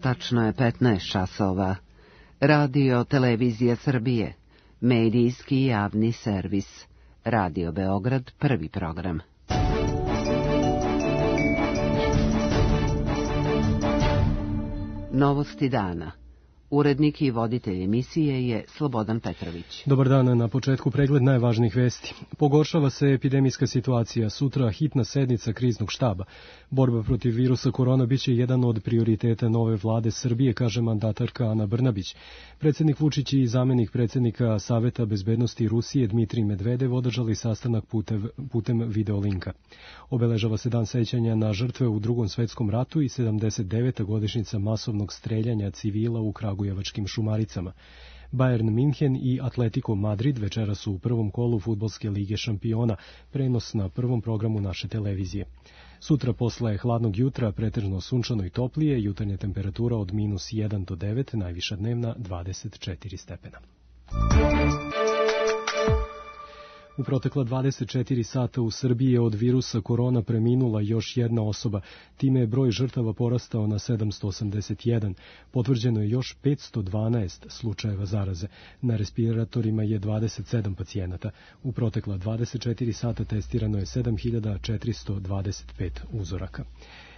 Tačno je 15 časova. Radio Televizija Srbije. Medijski javni servis. Radio Beograd, prvi program. Novosti dana. Urednik i voditelj emisije je Slobodan Petrović. Dobar dan, na početku pregled najvažnijih vesti. Pogoršava se epidemijska situacija. Sutra hitna sednica kriznog štaba. Borba protiv virusa korona biće jedan od prioriteta nove vlade Srbije, kaže mandatarka Ana Brnabić. Predsjednik Vučić i zamenik predsjednika Saveta bezbednosti Rusije Dmitrij Medvedev održali sastanak putem videolinka. Obeležava se dan sećanja na žrtve u Drugom svetskom ratu i 79. godišnjica masovnog streljanja civila u kragujevačkim Šumaricama. Bayern Minhen i Atletico Madrid večeras su u prvom kolu Fudbalske lige šampiona, prenos na prvom programu naše televizije. Sutra posle hladnog jutra pretežno sunčano i toplije, jutarnja temperatura od -1 do 9, najviša dnevna 24 stepena. U protekla 24 sata u Srbiji je od virusa korona preminula još jedna osoba. Time je broj žrtava porastao na 781. Potvrđeno je još 512 slučajeva zaraze. Na respiratorima je 27 pacijenata. U protekla 24 sata testirano je 7425 uzoraka.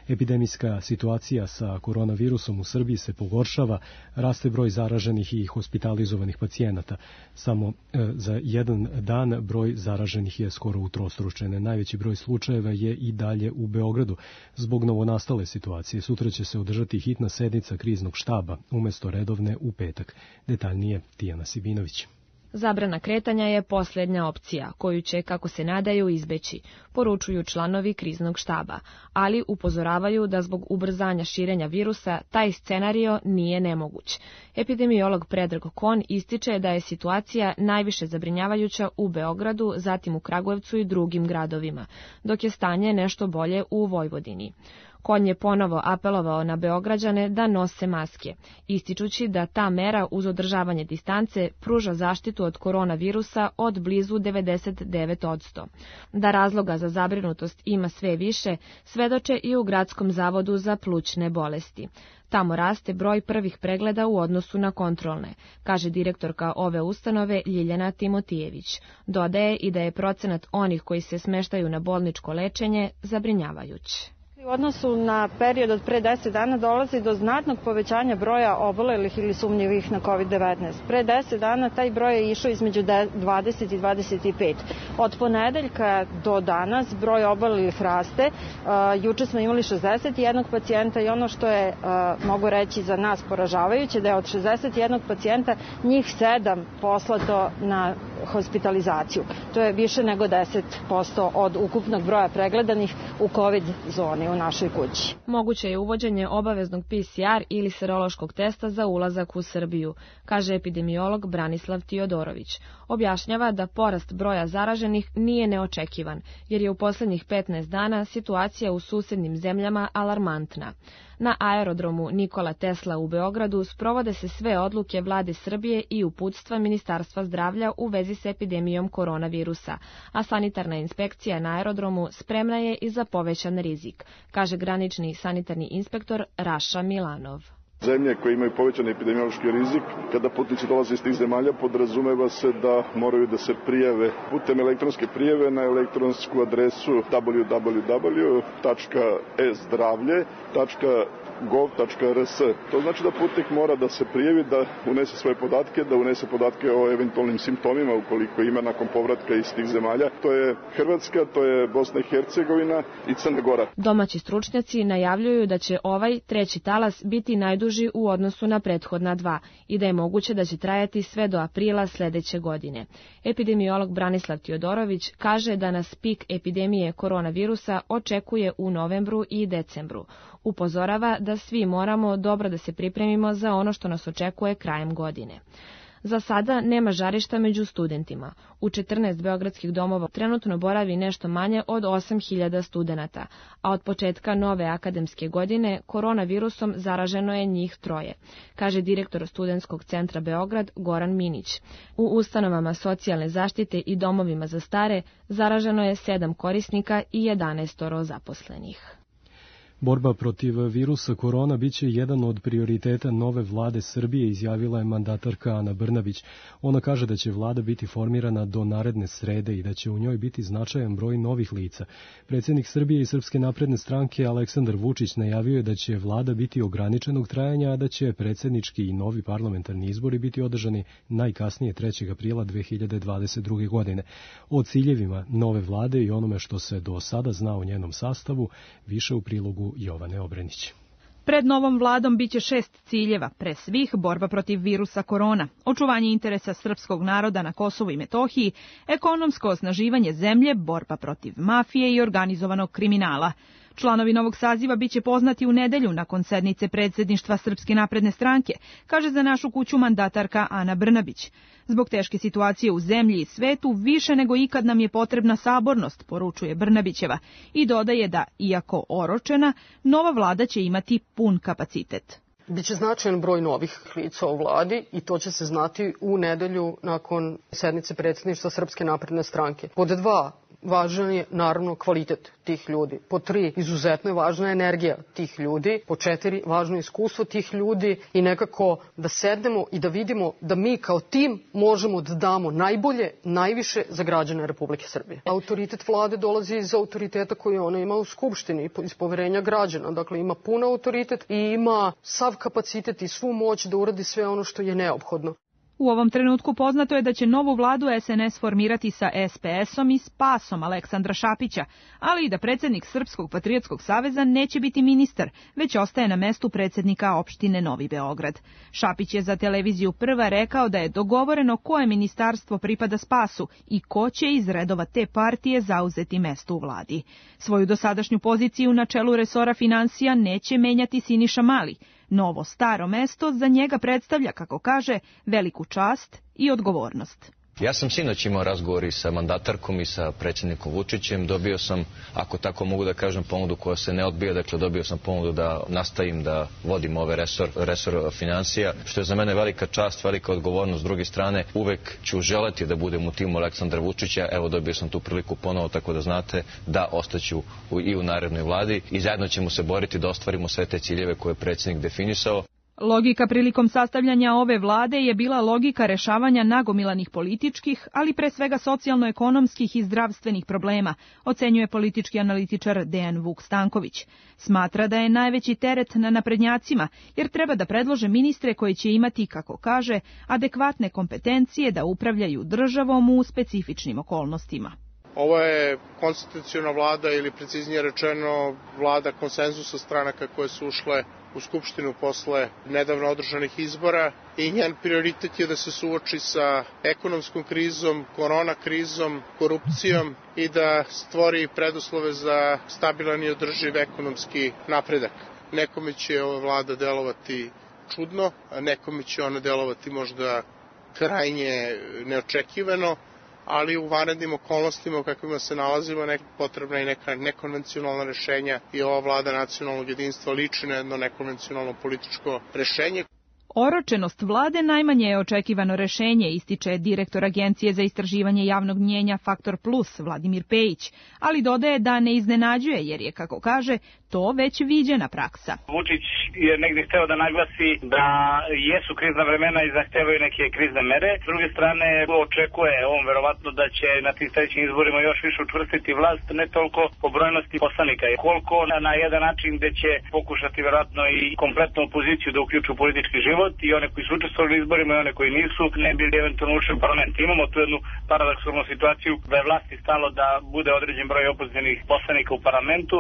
Epidemijska situacija sa koronavirusom u Srbiji se pogoršava, raste broj zaraženih i hospitalizovanih pacijenata. Samo za jedan dan broj zaraženih je skoro utrostručen. Najveći broj slučajeva je i dalje u Beogradu. Zbog novonastale situacije sutra će se održati hitna sednica kriznog štaba, umesto redovne u petak. Detaljnije Tijana Sibinović. Zabrana kretanja je posljednja opcija, koju će, kako se nadaju, izbeći, poručuju članovi kriznog štaba, ali upozoravaju da zbog ubrzanja širenja virusa taj scenario nije nemoguć. Epidemiolog Predrag Kon ističe da je situacija najviše zabrinjavajuća u Beogradu, zatim u Kragujevcu i drugim gradovima, dok je stanje nešto bolje u Vojvodini. Kon je ponovo apelovao na Beograđane da nose maske, ističući da ta mera uz održavanje distance pruža zaštitu od koronavirusa od blizu 99%. Da razloga za zabrinutost ima sve više, svedoče i u Gradskom zavodu za plućne bolesti. Tamo raste broj prvih pregleda u odnosu na kontrolne, kaže direktorka ove ustanove Ljiljana Timotijević. Dodaje i da je procenat onih koji se smeštaju na bolničko lečenje zabrinjavajući. U odnosu na period od pre 10 dana dolazi do znatnog povećanja broja obolelih ili sumnjivih na COVID-19. Pre 10 dana taj broj je išao između 20 i 25. Od ponedeljka do danas broj obolelih raste. Juče smo imali 61 pacijenta i ono što je, mogu reći, za nas poražavajuće, da je od 61 pacijenta njih 7 poslato na hospitalizaciju. To je više nego 10% od ukupnog broja pregledanih u COVID zoni u našoj kući. Moguće je uvođenje obaveznog PCR ili serološkog testa za ulazak u Srbiju, kaže epidemiolog Branislav Tiodorović. Objašnjava da porast broja zaraženih nije neočekivan, jer je u posljednjih 15 dana situacija u susednim zemljama alarmantna. Na aerodromu Nikola Tesla u Beogradu sprovode se sve odluke vlade Srbije i uputstva Ministarstva zdravlja u vezi s epidemijom koronavirusa, a sanitarna inspekcija na aerodromu spremna je i za povećan rizik, kaže granični sanitarni inspektor Raša Milanov. Zemlje koje imaju povećan epidemiološki rizik, kada putnici dolaze iz tih zemalja, podrazumeva se da moraju da se prijave putem elektronske prijave na elektronsku adresu www.ezdravlje.gov.rs. To znači da putnik mora da se prijavi, da unese svoje podatke, da unese podatke o eventualnim simptomima ukoliko ima nakon povratka iz tih zemalja. To je Hrvatska, to je Bosna i Hercegovina i Crna Gora. Domaći stručnjaci najavljuju da će ovaj treći talas biti najduži u odnosu na prethodna dva i da je moguće da će trajati sve do aprila sledeće godine. Epidemiolog Branislav Tiodorović kaže da nas pik epidemije koronavirusa očekuje u novembru i decembru. Upozorava da svi moramo dobro da se pripremimo za ono što nas očekuje krajem godine. Za sada nema žarišta među studentima. U 14 beogradskih domova trenutno boravi nešto manje od 8.000 studenata, a od početka nove akademske godine koronavirusom zaraženo je njih 3, kaže direktor Studentskog centra Beograd Goran Minić. U ustanovama socijalne zaštite i domovima za stare zaraženo je 7 korisnika i 11 zaposlenih. Borba protiv virusa korona biće jedan od prioriteta nove vlade Srbije, izjavila je mandatarka Ana Brnabić. Ona kaže da će vlada biti formirana do naredne srede i da će u njoj biti značajan broj novih lica. Predsjednik Srbije i Srpske napredne stranke Aleksandar Vučić najavio je da će vlada biti ograničenog trajanja, a da će predsjednički i novi parlamentarni izbori biti održani najkasnije 3. aprila 2022. godine. O ciljevima nove vlade i onome što se do sada zna o njenom sastavu, više u prilogu Jovane Obrenić. Pred novom vladom biće 6 ciljeva, pre svih borba protiv virusa korona, očuvanje interesa srpskog naroda na Kosovu i Metohiji, ekonomsko osnaživanje zemlje, borba protiv mafije i organizovanog kriminala. Članovi novog saziva biće poznati u nedelju nakon sednice predsjedništva Srpske napredne stranke, kaže za Našu kuću mandatarka Ana Brnabić. Zbog teške situacije u zemlji i svetu, više nego ikad nam je potrebna sabornost, poručuje Brnabićeva, i dodaje da, iako oročena, nova vlada će imati pun kapacitet. Biće značajan broj novih lica u vladi i to će se znati u nedelju nakon sednice predsjedništva Srpske napredne stranke. Pod 2, važan je naravno kvalitet tih ljudi. Pod 3, izuzetno je važna energija tih ljudi. Pod 4, važno je iskustvo tih ljudi i nekako da sednemo i da vidimo da mi kao tim možemo da damo najbolje, najviše za građane Republike Srbije. Autoritet vlade dolazi iz autoriteta koji ona ima u Skupštini, iz poverenja građana. Dakle, ima pun autoritet i ima sav kapacitet i svu moć da uradi sve ono što je neophodno. U ovom trenutku poznato je da će novu vladu SNS formirati sa SPS-om i SPAS-om Aleksandra Šapića, ali i da predsjednik Srpskog patriotskog saveza neće biti ministar, već ostaje na mestu predsjednika opštine Novi Beograd. Šapić je za televiziju Prva rekao da je dogovoreno koje ministarstvo pripada SPAS-u i ko će iz redova te partije zauzeti mesto u vladi. Svoju dosadašnju poziciju na čelu resora finansija neće menjati Siniša Mali. Novo staro mesto za njega predstavlja, kako kaže, veliku čast i odgovornost. Ja sam sinoć imao razgovor i sa mandatarkom i sa predsjednikom Vučićem. Dobio sam, ako tako mogu da kažem, ponudu koja se ne odbija. Dakle, dobio sam ponudu da nastavim da vodim ovaj resor finansija, što je za mene velika čast, velika odgovornost. S druge strane, uvek ću želeti da budem u timu Aleksandra Vučića. Evo, dobio sam tu priliku ponovo, tako da znate da ostaću i u narednoj vladi i zajedno ćemo se boriti da ostvarimo sve te ciljeve koje je predsjednik definisao. Logika prilikom sastavljanja ove vlade je bila logika rešavanja nagomilanih političkih, ali pre svega socijalno-ekonomskih i zdravstvenih problema, ocenjuje politički analitičar Dejan Vuk Stanković. Smatra da je najveći teret na naprednjacima, jer treba da predlože ministre koji će imati, kako kaže, adekvatne kompetencije da upravljaju državom u specifičnim okolnostima. Ovo je konstitucionalna vlada ili preciznije rečeno vlada konsenzusa stranaka koje su ušle u Skupštinu posle nedavno održanih izbora i njen prioritet je da se suoči sa ekonomskom krizom, korona krizom, korupcijom i da stvori preduslove za stabilan i održiv ekonomski napredak. Nekome će ova vlada delovati čudno, a nekome će ona delovati možda krajnje neočekivano, ali u vanrednim okolnostima u kakvima se nalazimo potrebna i neka nekonvencionalna rešenja i ova vlada nacionalnog jedinstva liči na jedno nekonvencionalno političko rešenje. Oročenost vlade najmanje je očekivano rešenje, ističe direktor Agencije za istraživanje javnog mnjenja Faktor Plus Vladimir Pejić, ali dodaje da ne iznenađuje jer je, kako kaže, to već viđena praksa. Vučić je negdje hteo da naglasi da jesu krizna vremena i zahtevaju neke krizne mere. S druge strane, očekuje on verovatno da će na tim sledećim izborima još više učvrstiti vlast, ne toliko po brojnosti poslanika, koliko na jedan način gde će pokušati verovatno i kompletnu opoziciju da uključu u politički život i one koji su učestvovali u izborima i one koji nisu, ne bili eventualno ušli u parlament. Imamo tu jednu paradoksalnu situaciju da je vlasti stalo da bude određen broj opozicionih poslanika u parlamentu,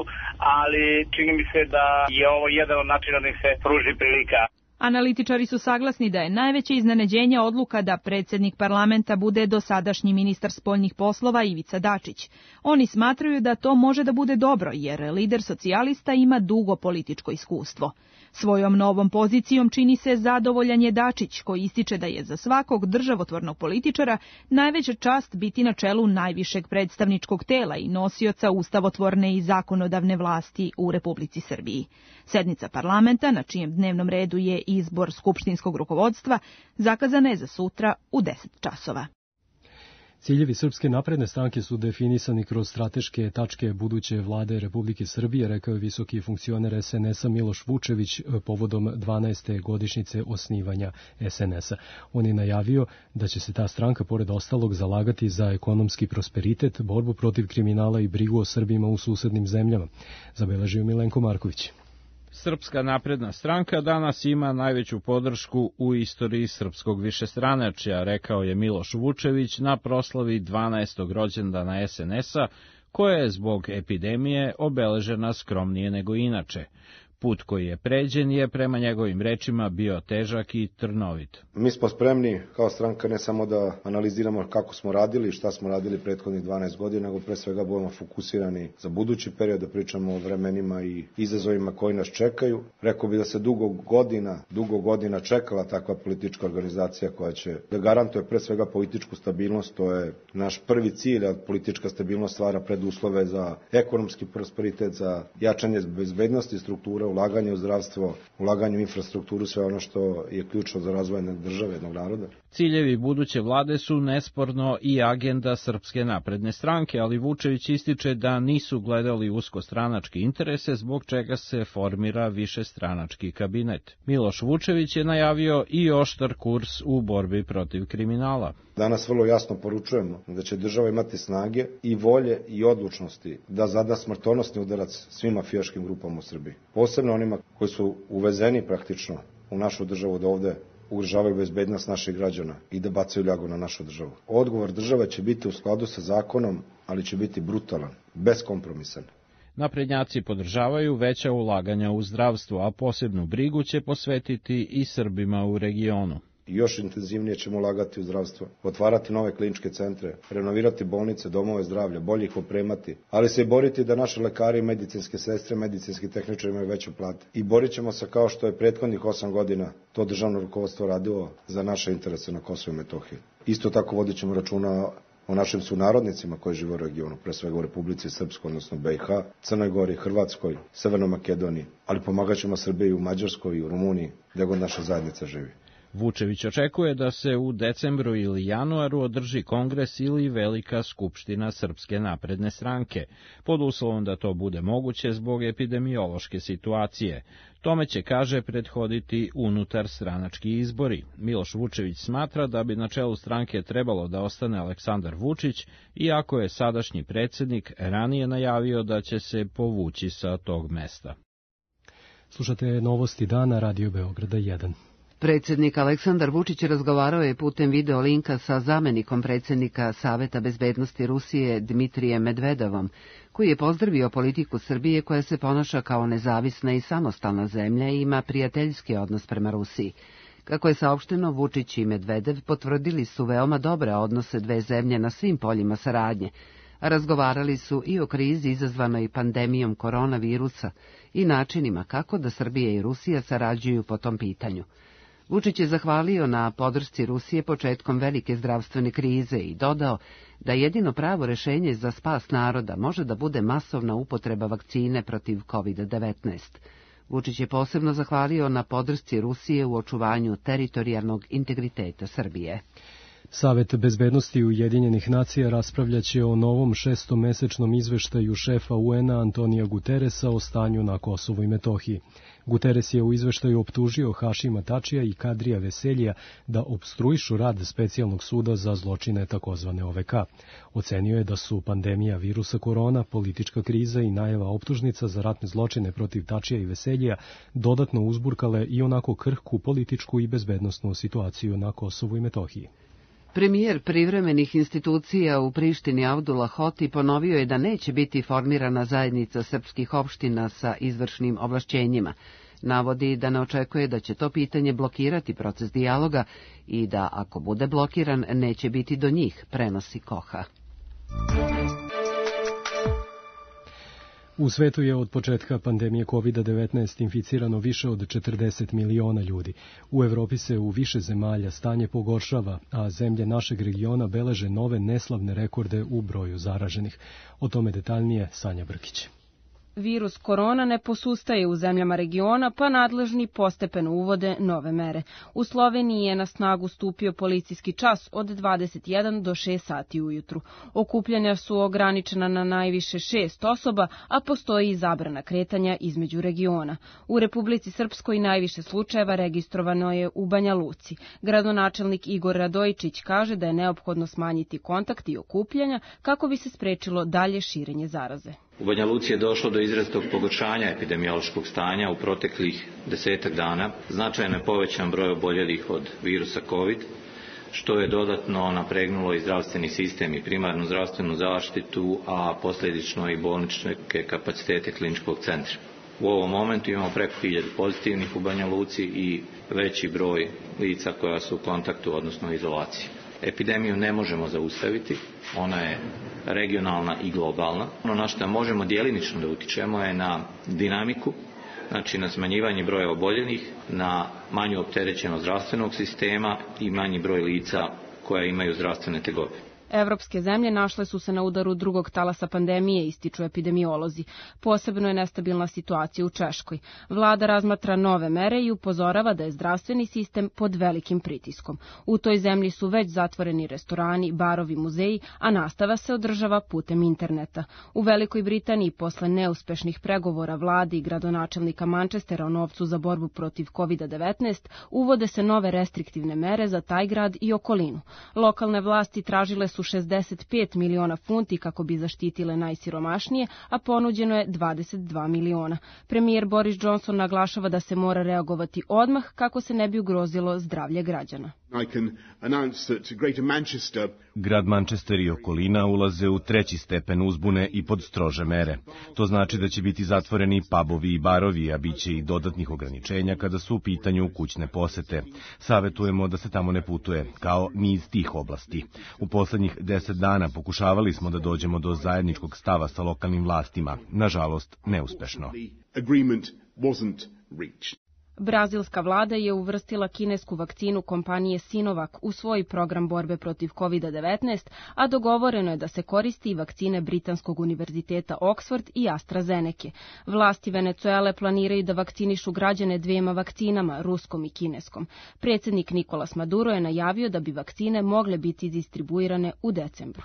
ali čini mi se da je ovo jedan od načina da im se pruži prilika. Analitičari su saglasni da je najveće iznenađenje odluka da predsjednik parlamenta bude dosadašnji ministar spoljnih poslova Ivica Dačić. Oni smatraju da to može da bude dobro jer lider socijalista ima dugo političko iskustvo. Svojom novom pozicijom čini se zadovoljan je Dačić, koji ističe da je za svakog državotvornog političara najveća čast biti na čelu najvišeg predstavničkog tela i nosioca ustavotvorne i zakonodavne vlasti u Republici Srbiji. Sednica parlamenta, na čijem dnevnom redu je izbor skupštinskog rukovodstva, zakazana je za sutra u 10 časova. Ciljevi Srpske napredne stranke su definisani kroz strateške tačke buduće vlade Republike Srbije, rekao je visoki funkcioner SNS-a Miloš Vučević povodom 12. godišnjice osnivanja SNS-a. On je najavio da će se ta stranka, pored ostalog, zalagati za ekonomski prosperitet, borbu protiv kriminala i brigu o Srbima u susednim zemljama, zabeležio Milenko Marković. Srpska napredna stranka danas ima najveću podršku u istoriji srpskog višestranačja, rekao je Miloš Vučević na proslavi 12. rođendana SNS-a, koja je zbog epidemije obeležena skromnije nego inače. Put koji je pređen je, prema njegovim rečima, bio težak i trnovit. Mi smo spremni kao stranka ne samo da analiziramo kako smo radili i šta smo radili prethodnih 12 godina, nego pre svega budemo fokusirani za budući period, da pričamo o vremenima i izazovima koji nas čekaju. Rekao bih da se dugo godina čekala takva politička organizacija koja će da garantuje pre svega političku stabilnost. To je naš prvi cilj, a politička stabilnost stvara preduslove za ekonomski prosperitet, za jačanje bezbednosti struktura, ulaganje u zdravstvo, ulaganje u infrastrukturu, sve ono što je ključno za razvoj države, jednog naroda. Ciljevi buduće vlade su nesporno i agenda Srpske napredne stranke, ali Vučević ističe da nisu gledali uskostranačke interese, zbog čega se formira višestranački kabinet. Miloš Vučević je najavio i oštar kurs u borbi protiv kriminala. Danas vrlo jasno poručujemo da će država imati snage i volje i odlučnosti da zada smrtonosni udarac svim mafijaškim grupama u Srbiji. Posebno onima koji su uvezeni praktično u našu državu, da ovde ugrožavaju bezbednost naših građana i da bacaju ljagu na našu državu. Odgovor države će biti u skladu sa zakonom, ali će biti brutalan, beskompromisan. Naprednjaci podržavaju veća ulaganja u zdravstvo, a posebnu brigu će posvetiti i Srbima u regionu. Još intenzivnije ćemo ulagati u zdravstvo, otvarati nove kliničke centre, renovirati bolnice, domove zdravlja, bolje ih opremati, ali se i boriti da naši lekari, medicinske sestre, medicinski tehničari imaju veće plate. I borit ćemo se kao što je prethodnih 8 godina to državno rukovodstvo radilo za naše interese na Kosovu i Metohiji. Isto tako vodit ćemo računa o našim sunarodnicima koji žive u regionu, pre svega u Republici Srpskoj, odnosno BiH, Crnoj Gori, Hrvatskoj, Severnoj Makedoniji, ali pomagat ćemo Srbiji u Mađarskoj i u Rumuniji, gdje god naša zajednica živi. Vučević očekuje da se u decembru ili januaru održi kongres ili velika skupština Srpske napredne stranke, pod uslovom da to bude moguće zbog epidemiološke situacije. Tome će, kaže, prethoditi unutar stranački izbori. Miloš Vučević smatra da bi na čelu stranke trebalo da ostane Aleksandar Vučić, iako je sadašnji predsjednik ranije najavio da će se povući sa tog mesta. Slušate novosti dana Radio Beograda 1. Predsjednik Aleksandar Vučić razgovarao je putem video linka sa zamenikom predsjednika Saveta bezbednosti Rusije Dmitrijem Medvedevom, koji je pozdravio politiku Srbije koja se ponaša kao nezavisna i samostalna zemlja i ima prijateljski odnos prema Rusiji. Kako je saopšteno, Vučić i Medvedev potvrdili su veoma dobre odnose dve zemlje na svim poljima saradnje, a razgovarali su i o krizi izazvanoj pandemijom koronavirusa i načinima kako da Srbija i Rusija sarađuju po tom pitanju. Vučić je zahvalio na podršci Rusije početkom velike zdravstvene krize i dodao da jedino pravo rešenje za spas naroda može da bude masovna upotreba vakcine protiv COVID-19. Vučić je posebno zahvalio na podršci Rusije u očuvanju teritorijalnog integriteta Srbije. Savet bezbednosti Ujedinjenih nacija raspravljaće o novom šestomesečnom izveštaju šefa UN-a Antonija Guteresa o stanju na Kosovu i Metohiji. Guteres je u izveštaju optužio Hašima Tačija i Kadrija Veseljija da opstruišu rad specijalnog suda za zločine takozvane OVK. Ocenio je da su pandemija virusa korona, politička kriza i najava optužnica za ratne zločine protiv Tačija i Veseljija dodatno uzburkale i onako krhku političku i bezbednosnu situaciju na Kosovu i Metohiji. Premijer privremenih institucija u Prištini Abdullah Hoti ponovio je da neće biti formirana zajednica srpskih opština sa izvršnim ovlašćenjima. Navodi da ne očekuje da će to pitanje blokirati proces dijaloga i da ako bude blokiran neće biti do njih, prenosi Koha. U svetu je od početka pandemije COVID-19 inficirano više od 40 miliona ljudi. U Evropi se u više zemalja stanje pogoršava, a zemlje našeg regiona beleže nove neslavne rekorde u broju zaraženih. O tome detaljnije Sanja Brkić. Virus korona ne posustaje u zemljama regiona, pa nadležni postepeno uvode nove mere. U Sloveniji je na snagu stupio policijski čas od 21 do 6 sati ujutru. Okupljanja su ograničena na najviše 6 osoba, a postoji i zabrana kretanja između regiona. U Republici Srpskoj najviše slučajeva registrovano je u Banja Luci. Gradonačelnik Igor Radojičić kaže da je neophodno smanjiti kontakt i okupljanja kako bi se sprečilo dalje širenje zaraze. U Banja Luci je došlo do izrazitog pogoršanja epidemiološkog stanja u proteklih 10 dana. Značajno je povećan broj oboljelih od virusa COVID, što je dodatno napregnulo i zdravstveni sistem i primarnu zdravstvenu zaštitu, a posljedično i bolničke kapacitete kliničkog centra. U ovom momentu imamo preko 1000 pozitivnih u Banja Luci i veći broj lica koja su u kontaktu, odnosno izolaciji. Epidemiju ne možemo zaustaviti, ona je regionalna i globalna. Ono na što možemo djelimično da utičemo je na dinamiku, znači na smanjivanje broja oboljelih, na manju opterećenost zdravstvenog sistema i manji broj lica koja imaju zdravstvene tegobe. Evropske zemlje našle su se na udaru drugog talasa pandemije, ističu epidemiolozi. Posebno je nestabilna situacija u Češkoj. Vlada razmatra nove mere i upozorava da je zdravstveni sistem pod velikim pritiskom. U toj zemlji su već zatvoreni restorani, barovi, muzeji, a nastava se održava putem interneta. U Velikoj Britaniji, posle neuspešnih pregovora vlade i gradonačelnika Manchestera o novcu za borbu protiv COVID-19, uvode se nove restriktivne mere za taj grad i okolinu. Lokalne vlasti tražile su 65 miliona funti kako bi zaštitile najsiromašnije, a ponuđeno je 22 miliona. Premijer Boris Johnson naglašava da se mora reagovati odmah kako se ne bi ugrozilo zdravlje građana. Grad Manchester i okolina ulaze u 3. stepen uzbune i pod strože mere. To znači da će biti zatvoreni pubovi i barovi, a bit će i dodatnih ograničenja kada su u pitanju kućne posete. Savetujemo da se tamo ne putuje, kao ni iz tih oblasti. U poslednjih 10 dana pokušavali smo da dođemo do zajedničkog stava sa lokalnim vlastima, nažalost neuspešno. Brazilska vlada je uvrstila kinesku vakcinu kompanije Sinovac u svoj program borbe protiv COVID-19, a dogovoreno je da se koristi i vakcine Britanskog univerziteta Oxford i AstraZeneca. Vlasti Venecuele planiraju da vakcinišu građane 2 vakcinama, ruskom i kineskom. Predsjednik Nicolas Maduro je najavio da bi vakcine mogle biti distribuirane u decembru.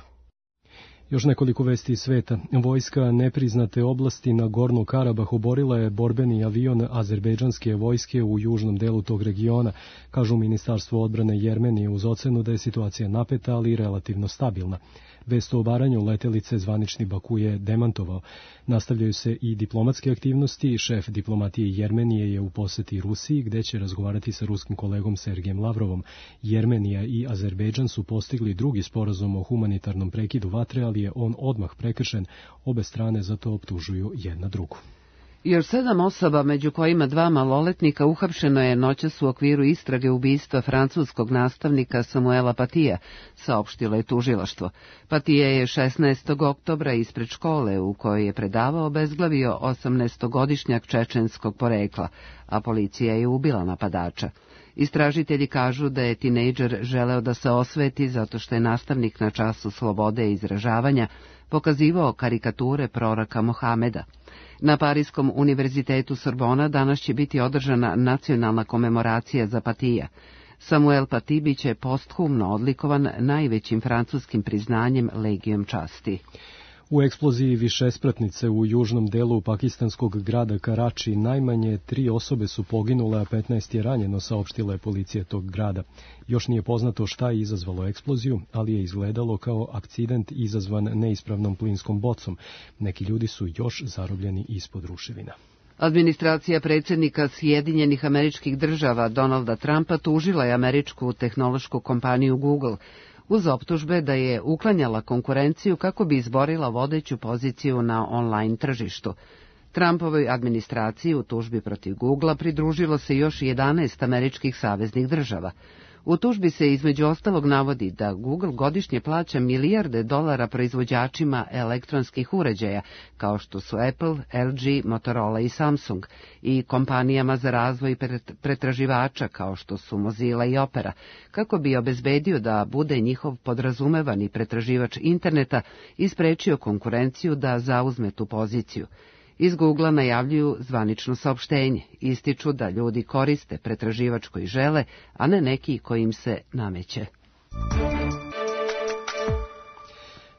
Još nekoliko vesti iz sveta. Vojska nepriznate oblasti na Gornu Karabah oborila je borbeni avion azerbejdžanske vojske u južnom delu tog regiona, kažu Ministarstvo odbrane Jermenije uz ocenu da je situacija napeta, ali relativno stabilna. Vest o obaranju letelice zvanični Baku je demantovao. Nastavljaju se i diplomatske aktivnosti. Šef diplomatije Jermenije je u poseti Rusiji, gde će razgovarati sa ruskim kolegom Sergejem Lavrovom. Jermenija i Azerbejdžan su postigli drugi sporazum o humanitarnom prekidu vatre, ali je on odmah prekršen. Obe strane za to optužuju jedna drugu. Još 7 osoba, među kojima 2 maloletnika, uhapšeno je noćas u okviru istrage ubistva francuskog nastavnika Samuela Patija, saopštilo je tužilaštvo. Patija je 16. oktobra ispred škole u kojoj je predavao obezglavio 18-godišnjak čečenskog porekla, a policija je ubila napadača. Istražitelji kažu da je tinejdžer želeo da se osveti zato što je nastavnik na času slobode i izražavanja pokazivao karikature proroka Mohameda. Na Parijskom univerzitetu Sorbona danas će biti održana nacionalna komemoracija za Patija. Samuel Paty biće posthumno odlikovan najvećim francuskim priznanjem Legijom časti. U eksploziji višespratnice u južnom delu pakistanskog grada Karači najmanje 3 osobe su poginule, a 15 je ranjeno, saopštila je policija tog grada. Još nije poznato šta je izazvalo eksploziju, ali je izgledalo kao akcident izazvan neispravnom plinskom bocom. Neki ljudi su još zarobljeni ispod ruševina. Administracija predsjednika Sjedinjenih Američkih Država Donalda Trumpa tužila je američku tehnološku kompaniju Google uz optužbe da je uklanjala konkurenciju kako bi izborila vodeću poziciju na online tržištu. Trumpovoj administraciji u tužbi protiv Googlea pridružilo se još 11 američkih saveznih država. U tužbi se između ostalog navodi da Google godišnje plaća milijarde dolara proizvođačima elektronskih uređaja, kao što su Apple, LG, Motorola i Samsung, i kompanijama za razvoj pretraživača, kao što su Mozilla i Opera, kako bi obezbedio da bude njihov podrazumevani pretraživač interneta i sprečio konkurenciju da zauzme tu poziciju. Iz Googla najavljuju zvanično saopštenje. Ističu da ljudi koriste pretraživač koji žele, a ne neki koji im se nameće.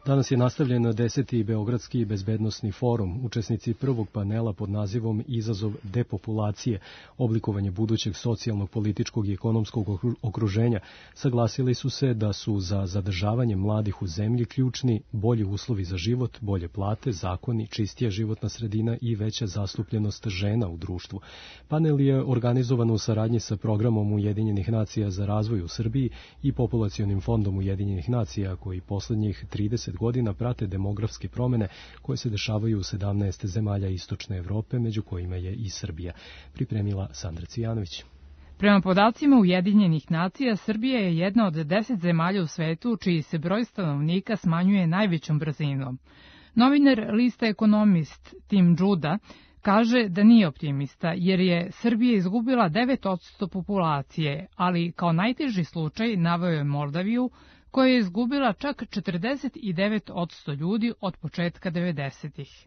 Danas je nastavljen 10. Beogradski bezbednosni forum. Učesnici prvog panela pod nazivom Izazov depopulacije, oblikovanje budućeg socijalnog, političkog i ekonomskog okruženja, saglasili su se da su za zadržavanje mladih u zemlji ključni bolji uslovi za život, bolje plate, zakoni, čistija životna sredina i veća zastupljenost žena u društvu. Panel je organizovan u saradnji sa programom Ujedinjenih nacija za razvoj u Srbiji i Populacionim fondom Ujedinjenih nacija, koji poslednjih 30 godina prate demografske promene koje se dešavaju u 17 zemalja istočne Evrope, među kojima je i Srbija. Pripremila Sandra Cijanović. Prema podacima Ujedinjenih nacija, Srbija je jedna od 10 zemalja u svetu čiji se broj stanovnika smanjuje najvećom brzinom. Novinar lista Ekonomist Tim Juda kaže da nije optimista, jer je Srbija izgubila 9% populacije, ali kao najteži slučaj naveo je Moldaviju, koja je izgubila čak 49% ljudi od početka 90-ih.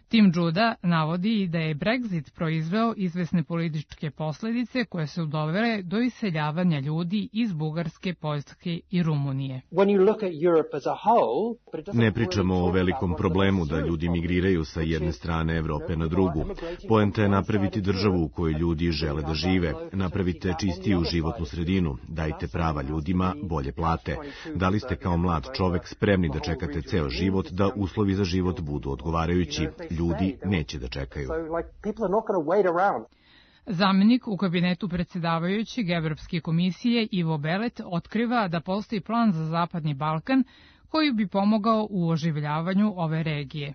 Tim Juda navodi da je Brexit proizveo izvesne političke posledice koje su dovele do iseljavanja ljudi iz Bugarske, Poljske i Rumunije. Ne pričamo o velikom problemu da ljudi migriraju sa jedne strane Evrope na drugu. Poenta je napraviti državu u kojoj ljudi žele da žive. Napravite čistiju životnu sredinu, dajte prava ljudima, bolje plate. Da li ste kao mlad čovek spremni da čekate ceo život da uslovi za život budu odgovarajući? Ljudi neće da čekaju. Zamenik u kabinetu predsjedavajućeg Evropske komisije Ivo Belet otkriva da postoji plan za Zapadni Balkan koji bi pomogao u oživljavanju ove regije.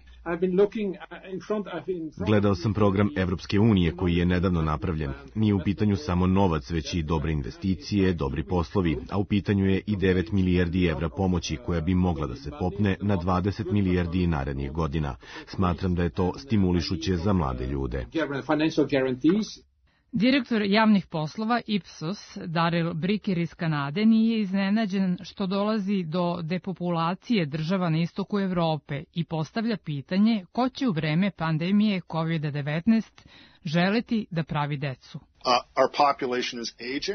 Gledao sam program Evropske unije koji je nedavno napravljen. Nije u pitanju samo novac, već i dobre investicije, dobri poslovi, a u pitanju je i 9 milijardi evra pomoći koja bi mogla da se popne na 20 milijardi narednih godina. Smatram da je to stimulišuće za mlade ljude. Direktor javnih poslova Ipsos, Daryl Bricker iz Kanade, nije iznenađen što dolazi do depopulacije država na istoku Evrope i postavlja pitanje ko će u vreme pandemije COVID-19 želeti da pravi decu.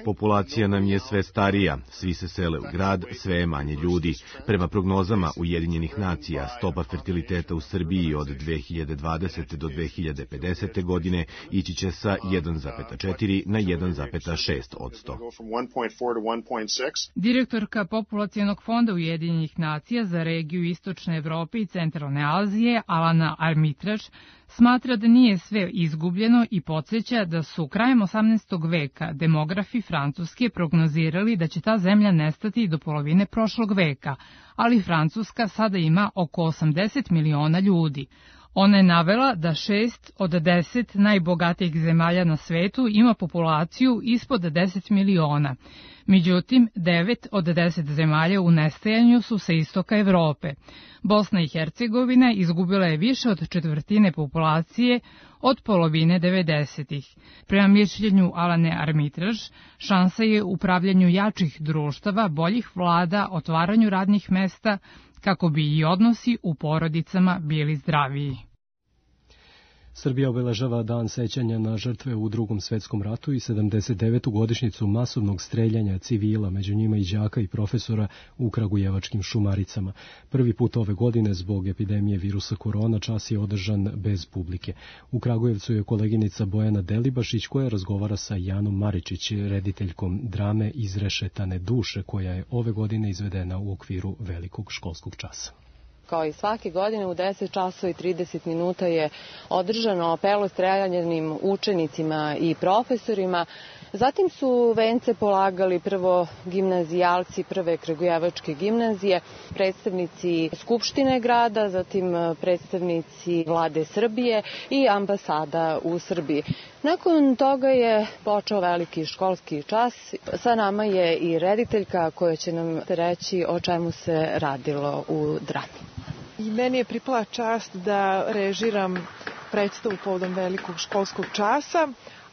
Populacija nam je sve starija, svi se sele u grad, sve je manje ljudi. Prema prognozama Ujedinjenih nacija, stopa fertiliteta u Srbiji od 2020. do 2050. godine ići će sa 1,4 na 1,6%. Direktorka Populacionog fonda Ujedinjenih nacija za regiju Istočne Evrope i Centralne Azije, Alana Armitraž, smatra da nije sve izgubljeno i podsjeća da su krajem 18. veka demografi Francuske prognozirali da će ta zemlja nestati do polovine prošlog veka, ali Francuska sada ima oko 80 miliona ljudi. Ona je navela da 6 od 10 najbogatijih zemalja na svetu ima populaciju ispod 10 miliona. Međutim, 9 od 10 zemalja u nestajanju su sa istoka Evrope. Bosna i Hercegovina izgubila je više od četvrtine populacije od polovine 90-ih. Prema mišljenju Alane Armitraž, šansa je u upravljanju jačih društava, boljih vlada, otvaranju radnih mesta, kako bi i odnosi u porodicama bili zdraviji. Srbija obeležava dan sećanja na žrtve u Drugom svetskom ratu i 79. godišnjicu masovnog streljanja civila, među njima i đaka i profesora u kragujevačkim Šumaricama. Prvi put ove godine zbog epidemije virusa korona čas je održan bez publike. U Kragujevcu je koleginica Bojana Delibašić koja razgovara sa Janom Maričić, rediteljkom drame Izrešetane duše, koja je ove godine izvedena u okviru velikog školskog časa. Kao i svake godine u 10 časova i 30 minuta je održano apelo streljanim učenicima i profesorima. Zatim su vence polagali prvo gimnazijalci prve kragujevačke gimnazije, predstavnici Skupštine grada, zatim predstavnici Vlade Srbije i ambasada u Srbiji. Nakon toga je počeo veliki školski čas. Sa nama je i rediteljka koja će nam reći o čemu se radilo u drami. I meni je pripala čast da režiram predstavu povodom velikog školskog časa,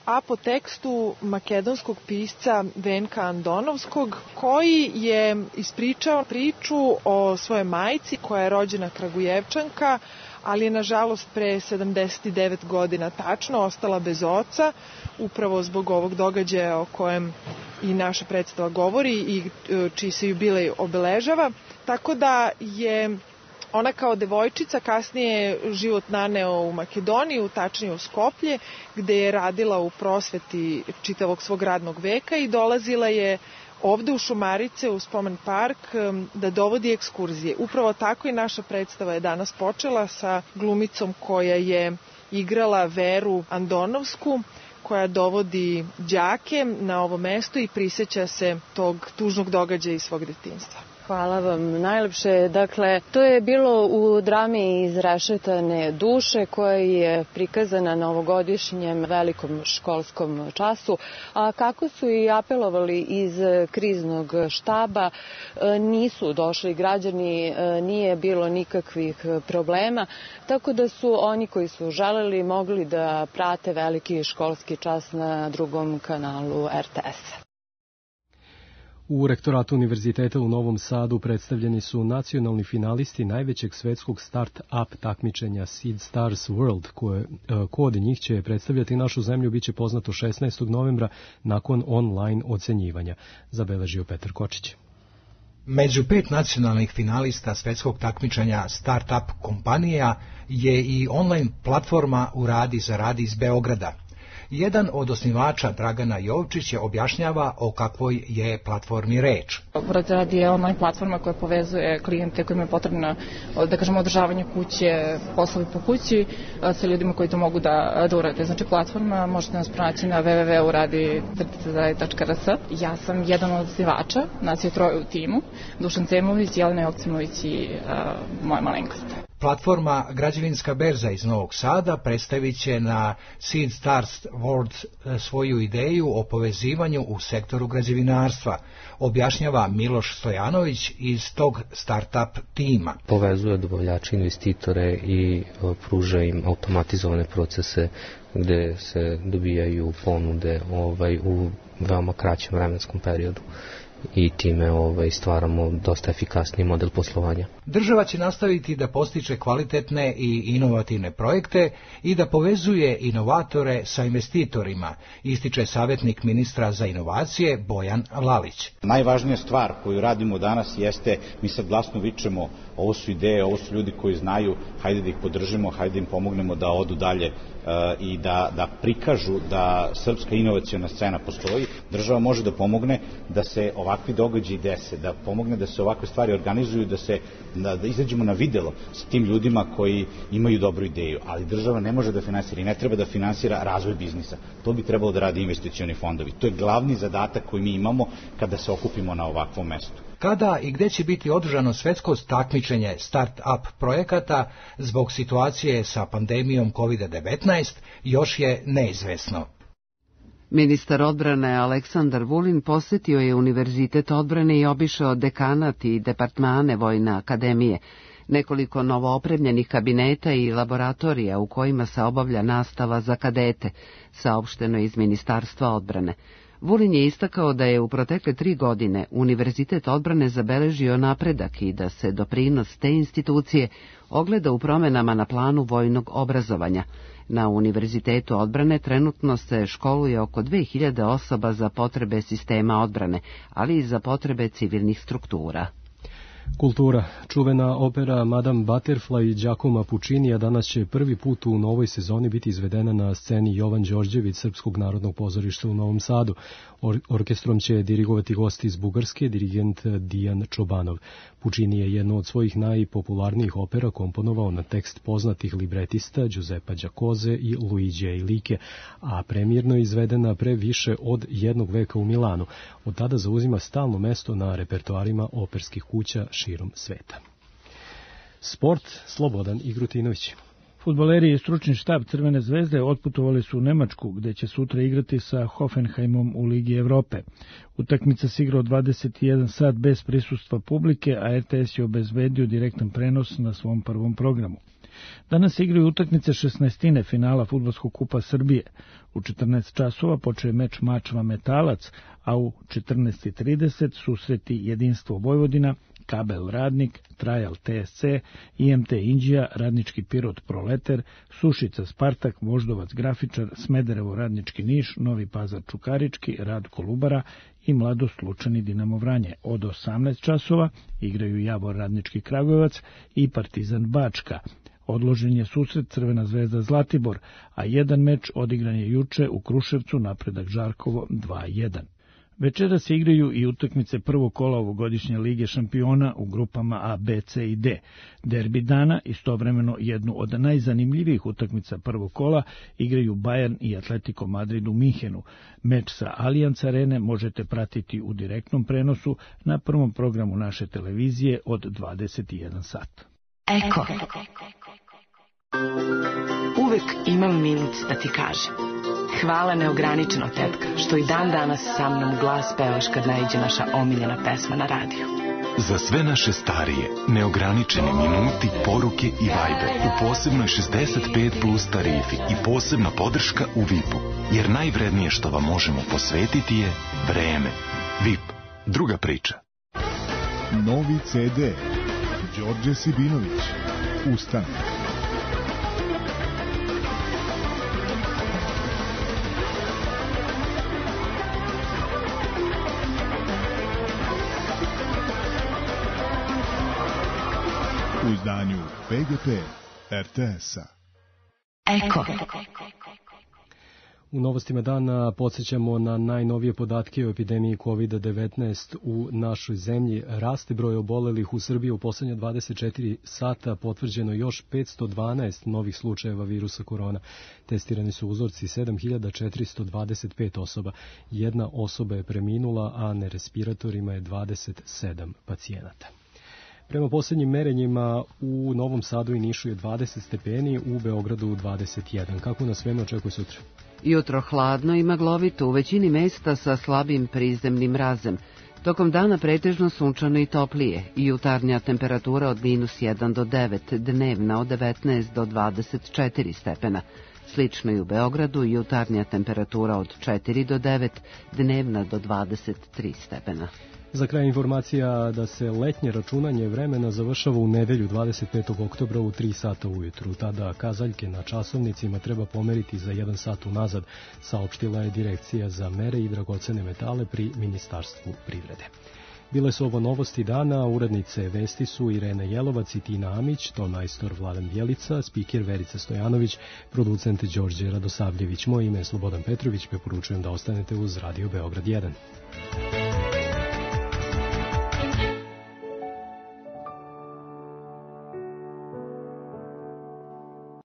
a po tekstu makedonskog pisca Venka Andonovskog, koji je ispričao priču o svojoj majci koja je rođena Kragujevčanka, ali je nažalost pre 79 godina tačno ostala bez oca, upravo zbog ovog događaja o kojem i naša predstava govori i čiji se jubilej obeležava. Tako da je ona kao devojčica kasnije život naneo u Makedoniju, tačnije u Skoplje, gde je radila u prosveti čitavog svog radnog veka i dolazila je ovde u Šumarice, u Spomen park, da dovodi ekskurzije. Upravo tako i naša predstava je danas počela sa glumicom koja je igrala Veru Andonovsku, koja dovodi đake na ovo mesto i prisjeća se tog tužnog događaja iz svog detinjstva. Hvala vam najlepše. Dakle, to je bilo u drami Izrešetane duše koja je prikazana na ovogodišnjem velikom školskom času. A kako su i apelovali iz kriznog štaba, nisu došli građani, nije bilo nikakvih problema, tako da su oni koji su želeli mogli da prate veliki školski čas na drugom kanalu RTS-a. U rektoratu Univerziteta u Novom Sadu predstavljeni su nacionalni finalisti najvećeg svetskog start-up takmičenja Seed Stars World, ko od njih će predstavljati našu zemlju biće poznato 16. novembra nakon online ocenjivanja, zabeležio Petar Kočić. Među 5 nacionalnih finalista svetskog takmičenja start-up kompanija je i online platforma Uradi zaradi iz Beograda. Jedan od osnivača, Dragana Jovčić, objašnjava o kakvoj je platformi reč. Uradi zaradi je online platforma koja povezuje klijente kojima je potrebno, da kažemo, održavanje kuće, poslovi po kući sa ljudima koji to mogu da urade. Znači, platforma možete nas pronaći na www.uradi.rs. Ja sam jedan od osnivača, nas je 3 u timu, Dušan Cemović, Jelena Joksimović i moja malenkost. Platforma Građevinska berza iz Novog Sada predstavit će na Seed Stars World svoju ideju o povezivanju u sektoru građevinarstva, objašnjava Miloš Stojanović iz tog start-up tima. Povezuje dobavljače, investitore i pruža im automatizovane procese gde se dobijaju ponude u veoma kraćem vremenskom periodu i time stvaramo dosta efikasniji model poslovanja. Država će nastaviti da postiče kvalitetne i inovativne projekte i da povezuje inovatore sa investitorima, ističe savjetnik ministra za inovacije Bojan Lalić. Najvažnija stvar koju radimo danas jeste, mi sad glasno vičemo, ovo su ideje, ovo su ljudi koji znaju, hajde da ih podržimo, hajde da im pomognemo da odu dalje i da prikažu da srpska inovaciona scena postoji. Država može da pomogne da se ovakvi događaji dese, da pomogne da se ovakve stvari organizuju, da izađemo na videlo s tim ljudima koji imaju dobru ideju, ali država ne može da finansira i ne treba da finansira razvoj biznisa. To bi trebalo da radi investicioni fondovi. To je glavni zadatak koji mi imamo kada se okupimo na ovakvom mestu. Kada i gde će biti održano svetsko takmičenje start-up projekata zbog situacije sa pandemijom COVID-19 još je neizvesno. Ministar odbrane Aleksandar Vulin posjetio je Univerzitet odbrane i obišao dekanat i departmane Vojne akademije, nekoliko novoopremljenih kabineta i laboratorija u kojima se obavlja nastava za kadete, saopšteno iz Ministarstva odbrane. Vulin je istakao da je u protekle 3 godine Univerzitet odbrane zabeležio napredak i da se doprinos te institucije ogleda u promenama na planu vojnog obrazovanja. Na Univerzitetu odbrane trenutno se školuje oko 2000 osoba za potrebe sistema odbrane, ali i za potrebe civilnih struktura. Kultura. Čuvena opera Madame Butterfly Giacomo Puccinija danas će prvi put u novoj sezoni biti izvedena na sceni Jovan Đorđević Srpskog narodnog pozorišta u Novom Sadu. Orkestrom će dirigovati gosti iz Bugarske, dirigent Dijan Čobanov. Puccini je jednu od svojih najpopularnijih opera komponovao na tekst poznatih libretista Giuseppa Giacoze i Luigija Ilike, a premijerno je izvedena pre više od 1 veka u Milanu. Od tada zauzima stalno mesto na repertoarima operskih kuća širom sveta. Sport, Slobodan Igrutinović. Fudbaleri i stručni štab Crvene zvezde otputovali su u Nemačku, gde će sutra igrati sa Hoffenheimom u Ligi Evrope. Utakmica se igra od 21 sat bez prisustva publike, a RTS je obezbedio direktan prenos na svom prvom programu. Danas se igraju utakmice 16. finala Fudbalskog kupa Srbije. U 14 časova počeo meč Mačva Metalac, a u 14:30 susreti Jedinstvo Vojvodina, Kabel Radnik, Trajal TSC, IMT Inđija, Radnički Pirot Proleter, Sušica Spartak, Voždovac Grafičar, Smederevo Radnički Niš, Novi Pazar Čukarički, Rad Kolubara i Mladost Lučani Dinamo Vranje. Od 18 časova igraju Javor Radnički Kragujevac i Partizan Bačka. Odložen je susret Crvena zvezda Zlatibor, a jedan meč odigran je juče u Kruševcu, Napredak Žarkovo 2:1. Večeras se igraju i utakmice prvog kola ovogodišnje Lige šampiona u grupama A, B, C i D. Derbi dana, istovremeno jednu od najzanimljivijih utakmica prvog kola, igraju Bayern i Atletico Madrid u Minhenu. Meč sa Allianz Arene možete pratiti u direktnom prenosu na prvom programu naše televizije od 21 sat. Eko. Uvek imam minut da ti kažem. Hvala neograničeno, tetka, što i dan danas sa mnom glas pevaš kad naiđe naša omiljena pesma na radiju. Za sve naše starije, neograničeni minuti, poruke i Viber u posebnoj 65 plus tarifi i posebna podrška u VIP-u. Jer najvrednije što vam možemo posvetiti je vreme. VIP. Druga priča. Novi CD. Đorđe Sibinović. Ustane. U izdanju PGP RTS-a. Eko. U novostima dana podsjećamo na najnovije podatke o epidemiji COVID-19 u našoj zemlji. Raste broj obolelih u Srbiji u poslednje 24 sata, potvrđeno još 512 novih slučajeva virusa korona. Testirani su uzorci 7425 osoba. Jedna osoba je preminula, a na respiratorima je 27 pacijenata. Prema posljednjim merenjima u Novom Sadu i Nišu je 20 stepeni, u Beogradu 21. Kako nas vreme očekuje sutra? Jutro hladno i maglovito, u većini mesta sa slabim prizemnim mrazem. Tokom dana pretežno sunčano i toplije, i jutarnja temperatura od -1 do 9, dnevna od 19 do 24 stepena. Slično i u Beogradu, jutarnja temperatura od 4 do 9, dnevna do 23 stepena. Za kraj informacija da se letnje računanje vremena završava u nedelju 25. oktobra u 3 sata ujutru. Tada kazaljke na časovnicima treba pomeriti za 1 sat unazad, saopštila je Direkcija za mere i dragocene metale pri Ministarstvu privrede. Bile su ovo novosti dana, urednice vesti su Irena Jelovac i Tina Amić, tonmajstor Vladan Bjelica, spiker Verica Stojanović, producent Đorđe Radosavljević. Moje ime je Slobodan Petrović, preporučujem da ostanete uz Radio Beograd 1.